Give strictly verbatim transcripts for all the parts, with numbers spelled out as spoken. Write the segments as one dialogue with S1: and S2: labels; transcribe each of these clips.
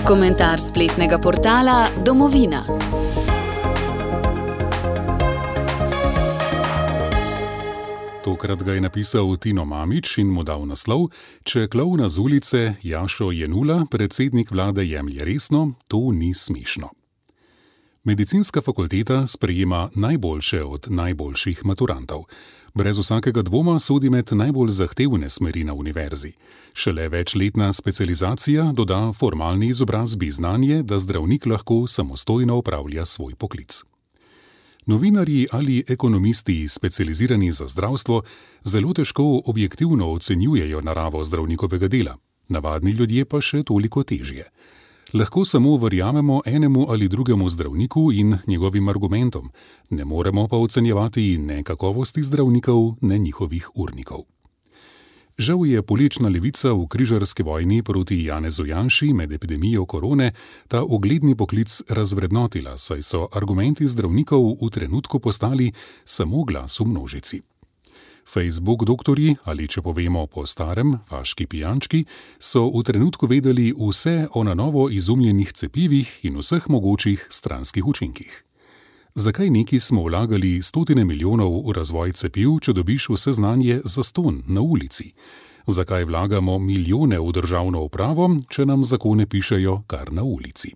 S1: Komentar spletnega portala Domovina.
S2: Tokrat ga je napisal Tino Mamić in mu dal naslov: Če klovna z ulice Jašo Jenulla predsednik vlade jemlje resno, to ni smešno. Medicinska fakulteta sprejema najboljše od najboljših maturantov. Brez vsakega dvoma sodi med najbolj zahtevne smeri na univerzi. Šele večletna specializacija doda formalni izobrazbi znanje, da zdravnik lahko samostojno opravlja svoj poklic. Novinarji ali ekonomisti, specializirani za zdravstvo, zelo težko objektivno ocenjujejo naravo zdravnikovega dela, navadni ljudje pa še toliko težje. Lahko samo verjamemo enemu ali drugemu zdravniku in njegovim argumentom, ne moremo pa ocenjevati ne kakovosti zdravnikov, ne njihovih urnikov. Žal je politična levica v križarski vojni proti Janezu Janši med epidemijo korone ta ugledni poklic razvrednotila, saj so argumenti zdravnikov v trenutku postali samo glas v množici. Facebook doktorji, ali če povemo po starem, vaški pijančki, so v trenutku vedeli vse o na novo izumljenih cepivih in vseh mogočih stranskih učinkih. Zakaj neki smo vlagali stotine milijonov v razvoj cepiv, če dobiš vse znanje zastonj na ulici? Zakaj vlagamo milijone v državno upravo, če nam zakone pišejo kar na ulici?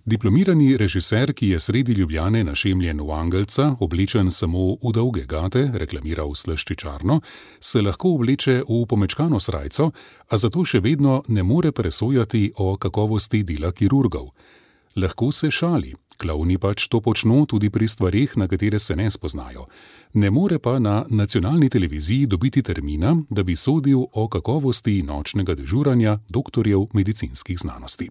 S2: Diplomirani režiser, ki je sredi Ljubljane našemljen v angelca, oblečen samo v dolge gate, reklamiral slaščičarno, se lahko obleče v pomečkano srajco, a zato še vedno ne more presojati o kakovosti dela kirurgov. Lahko se šali, klovni pač to počno tudi pri stvareh, na katere se ne spoznajo. Ne more pa na nacionalni televiziji dobiti termina, da bi sodil o kakovosti nočnega dežuranja doktorjev medicinskih znanosti.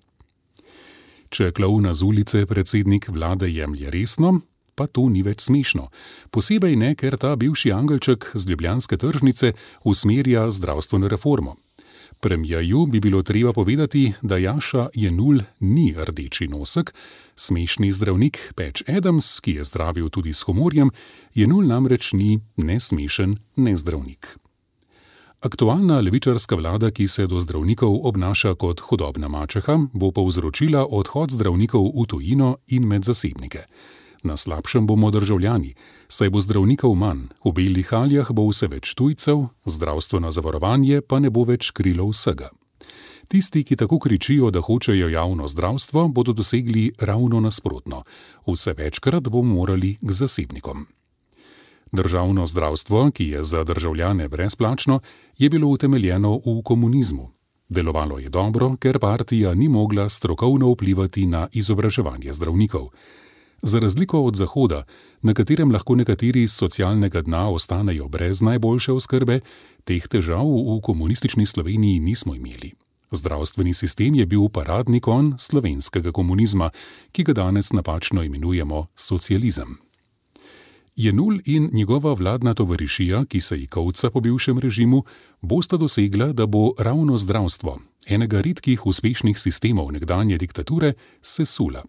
S2: Če klovna z ulice predsednik vlade jemlje resno, pa to ni več smešno. Posebej ne, ker ta bivši angelček z ljubljanske tržnice usmerja zdravstveno reformo. Premierju bi bilo treba povedati, da Jaša Jenull ni rdeči nosek, smešni zdravnik Patch Adams, ki je zdravil tudi s humorjem, Jenull namreč ni ne smešen, ne zdravnik. Aktualna levičarska vlada, ki se do zdravnikov obnaša kot hudobna mačeha, bo povzročila odhod zdravnikov v tujino in med zasebnike. Na slabšem bomo državljani, saj bo zdravnikov manj, v belih haljah bo vse več tujcev, zdravstveno zavarovanje pa ne bo več krilo vsega. Tisti, ki tako kričijo, da hočejo javno zdravstvo, bodo dosegli ravno nasprotno. Vse večkrat bomo morali k zasebnikom. Državno zdravstvo, ki je za državljane brezplačno, je bilo utemeljeno v komunizmu. Delovalo je dobro, ker partija ni mogla strokovno vplivati na izobraževanje zdravnikov. Za razliko od Zahoda, na katerem lahko nekateri iz socialnega dna ostanejo brez najboljše oskrbe, teh težav v komunistični Sloveniji nismo imeli. Zdravstveni sistem je bil paradni konj slovenskega komunizma, ki ga danes napačno imenujemo socializem. Jenull in njegova vladna tovarišija, ki se ji kovca po bivšem režimu, bosta dosegla, da bo ravno zdravstvo, enega redkih uspešnih sistemov nekdanje diktature, sesula.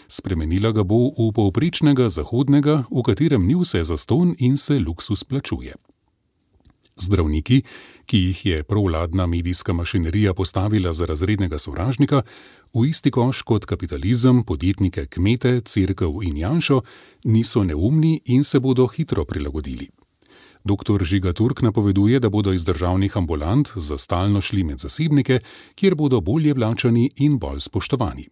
S2: Spremenila ga bo v povprečnega zahodnega, v katerem ni vse zastonj in se luksus plačuje. Zdravniki, ki jih je provladna medijska mašinerija postavila za razrednega sovražnika, v isti koš kot kapitalizem, podjetnike, kmete, cerkev in Janšo, niso neumni in se bodo hitro prilagodili. Doktor Žiga Turk napoveduje, da bodo iz državnih ambulant za stalno šli med zasebnike, kjer bodo bolje plačani in bolj spoštovani.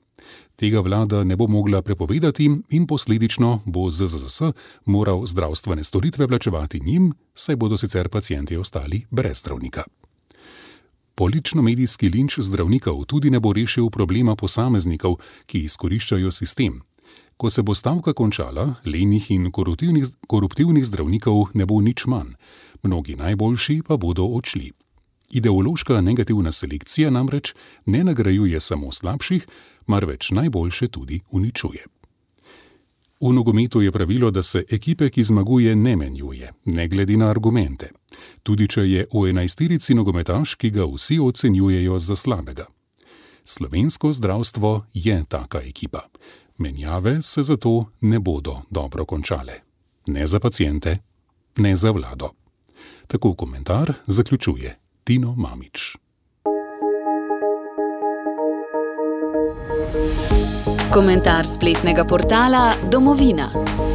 S2: Tega vlada ne bo mogla prepovedati in posledično bo Z Z Z S moral zdravstvene storitve plačevati njim, saj bodo sicer pacienti ostali brez zdravnika. Politično-medijski linč zdravnikov tudi ne bo rešil problema posameznikov, ki izkoriščajo sistem. Ko se bo stavka končala, lenih in koruptivnih, koruptivnih zdravnikov ne bo nič manj, mnogi najboljši pa bodo odšli. Ideološka negativna selekcija namreč ne nagrajuje samo slabših, marveč najboljše tudi uničuje. V nogometu je pravilo, da se ekipe, ki zmaguje, ne menjuje, ne glede na argumente. Tudi če je v enajsterici nogometaš, ki ga vsi ocenjujejo za slabega. Slovensko zdravstvo je taka ekipa. Menjave se zato ne bodo dobro končale. Ne za paciente, ne za vlado. Tako komentar zaključuje Tino Mamić.
S1: Komentar spletnega portala Domovina.